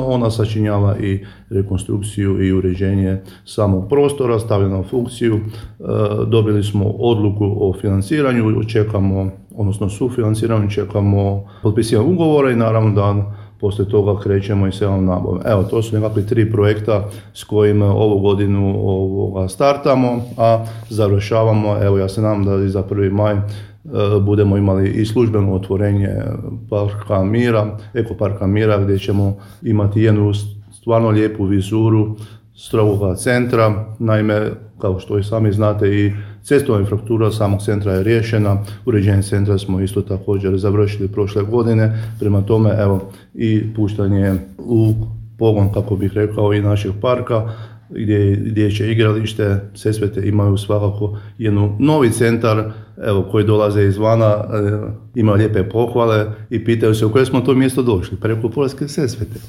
ona sačinjava i rekonstrukciju i uređenje samog prostora, stavljena u funkciju. Dobili smo odluku o financiranju, čekamo, odnosno sufinanciranju, čekamo potpisivanje ugovora i naravno da poslije toga krećemo i s javnom nabavom. Evo, to su nekakvi 3 projekta s kojima ovu godinu startamo, a završavamo, evo ja se nadam da i za 1. maj budemo imali i službeno otvorenje Parka Mira, Ekoparka Mira, gdje ćemo imati jednu stvarno lijepu vizuru strogoga centra. Naime, kao što i sami znate, i cestovna infrastruktura samog centra je riješena, uređenje centra smo isto također završili prošle godine, prema tome evo i puštanje u pogon, kako bih rekao, i našeg parka, gdje će igralište Sesvete imaju svakako jedan novi centar, evo, koji dolaze izvana, ima lijepe pohvale i pitaju se u koje smo to mjesto došli, preko Poljske Sesvete.